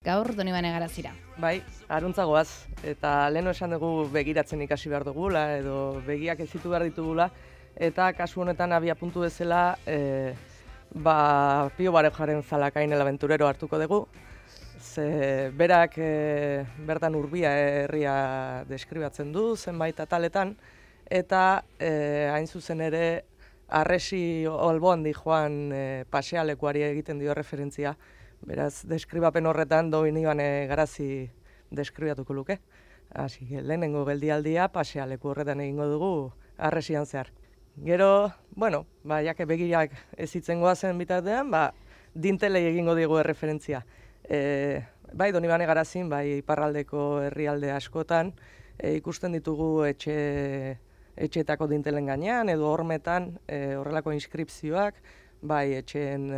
Gaur Donibane Garazira. Bai, aruntza goaz, eta leheno esan dugu begiratzen ikasi behar dugula, edo begiak ezitu behar ditugula, eta kasu honetan abia puntu bezala, Pio Barejaren Zalakainel abenturero hartuko dugu, ze berak bertan Urbia herria deskribatzen du, zenbait ataletan, eta hain zuzen ere, Arresi Olbondi joan pasealekuari egiten dio referentzia. Beraz, deskribapen horretan Donibane Garazi deskribatuko luke. Asi, lehenengo geldialdia pasealeku horretan egingo dugu Arresian zehar. Gero, jake begirak ezitzen goazen bitartean, dintelei egingo digu referentzia. Bai, Donibane Garazin, bai, iparraldeko herrialde askotan, ikusten ditugu etxeetako dintelen gainean, edo hormetan horrelako inskripzioak, bai, etxeen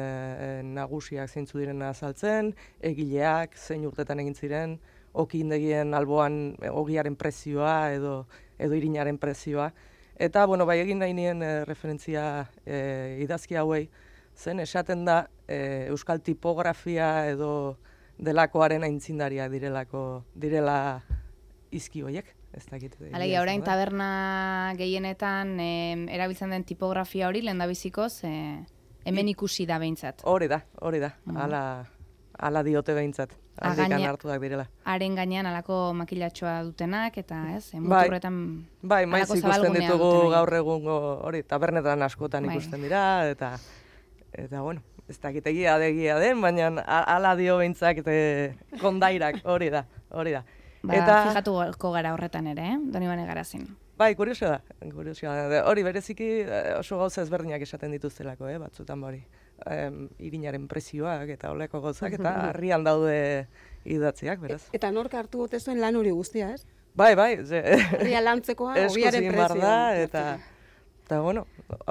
nagusiak zeintzu direna azaltzen, egileak, zein urtetan egin ziren, okindegien alboan ogiaren prezioa edo irinaren prezioa. Eta, bai, egin nahi nien referentzia idazki hauei, zen esaten da euskal tipografia edo delakoaren aintzindariak direla izki hoiek. Alegia, orain taberna gehienetan erabiltzen den tipografia hori lehendabizikoz hemen ikusi da behintzat. Hori da. Hala diote behintzat. Aldikan hartuak direla. Haren gainean alako makilatxoa dutenak eta muturretan bai, maiz ikusten ditugu gaur egungo hori tabernetan askotan ikusten dira eta ez dakit egia den, baina hala dio behintzak kondairak hori da. Fijatuko gara horretan ere, Donibane Garazin. Bai, kuriosoa da. Hori bereziki oso gauza ezberdinak esaten dituztelako, batzutan hori. Irinaren prezioak eta oleko gauzak eta harrian daude idatziak, beraz. Eta nork hartu gote zuen lan hori guztia, ez? Bai. Harria lantzekoa, ogiaren prezioa. Eta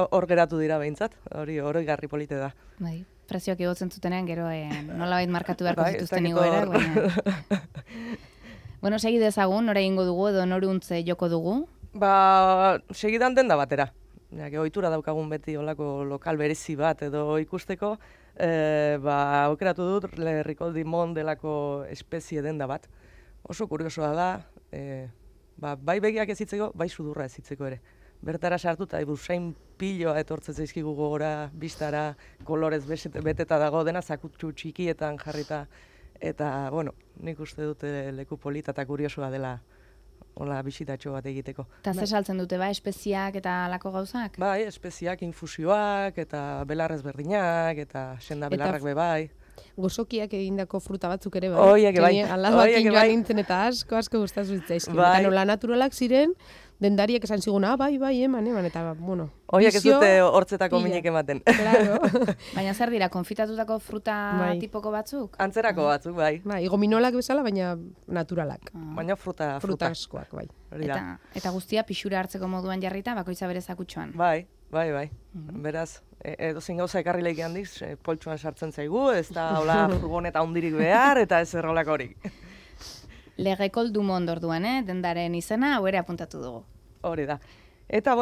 hor geratu dira behintzat, hori garri polite da. Bai, prezioak igotzen zutenean, gero nolabait markatu beharko zituzten igoera. Bueno, segi dezagun, nora egingo dugu edo noruntze joko dugu? Segidan denda batera. Ohitura daukagun beti olako lokal berezi bat edo ikusteko, aukeratu dut Lerriko Dimon delako espezie denda bat. Oso kuriosoa da, bai begiak ezitzeko, bai sudurra ezitzeko ere. Bertara sartuta, usain piloa etortzen zaizkigu gogora, bistara, kolorez beteta dago, dena zakutsu txikietan jarrita. Eta, nik uste dute leku polita eta kuriosoa dela hola bisitatxo bat egiteko. Eta zer saltzen dute, espeziak eta alako gauzak? Bai, espeziak, infusioak, eta belarrez berdinak, eta senda belarrak bai. Gozokiak egindako fruta batzuk ere bai. Oiek bai. Aldabakin joan nintzen eta asko gustatu zitzaizkin. Eta nola naturalak ziren, dendariek esan ziguna, bai, eman, eta, Oiek ez dute hortzetako minik ematen. Claro. Baina zer dira, konfitatutako fruta tipoko batzuk? Antzerako batzuk, bai. Bai, gominolak bezala, baina naturalak. Baina fruta askoak, bai. Eta guztia pixura hartzeko moduan jarrita, bakoitza bere zakutxoan. Bai. Beraz, edozein gauza ekarri lehik handiz, poltsuan sartzen zaigu, ez da hola furgoneta hundirik behar, eta ez errolako horik. Lerriko Dimon orduan, dendaren izena, hau ere apuntatu dugu. Hori da. Eta,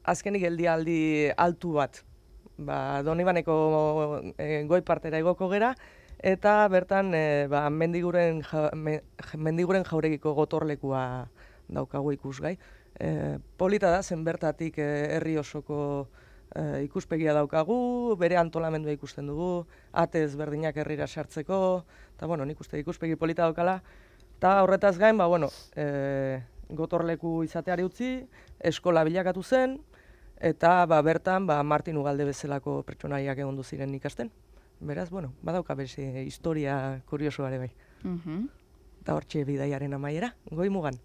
azkenik geldialdi altu bat. Donibaneko goi partera egoko gera, eta bertan mendiguren jauregiko gotorlekua daukagu ikusgai. Polita da, zen bertatik herri osoko ikuspegia daukagu, bere antolamendua ikusten dugu, ate ezberdinak herrira sartzeko, eta nik uste ikuspegi polita daukala, eta horretaz gain, gotorleku izateari utzi, eskola bilakatu zen, eta bertan Martin Ugalde bezalako pertsonaiak egon ziren ikasten. Beraz, badauka bere historia kuriosoare bai. Eta hortxe bidaiaren amaiera, Goi Mugan.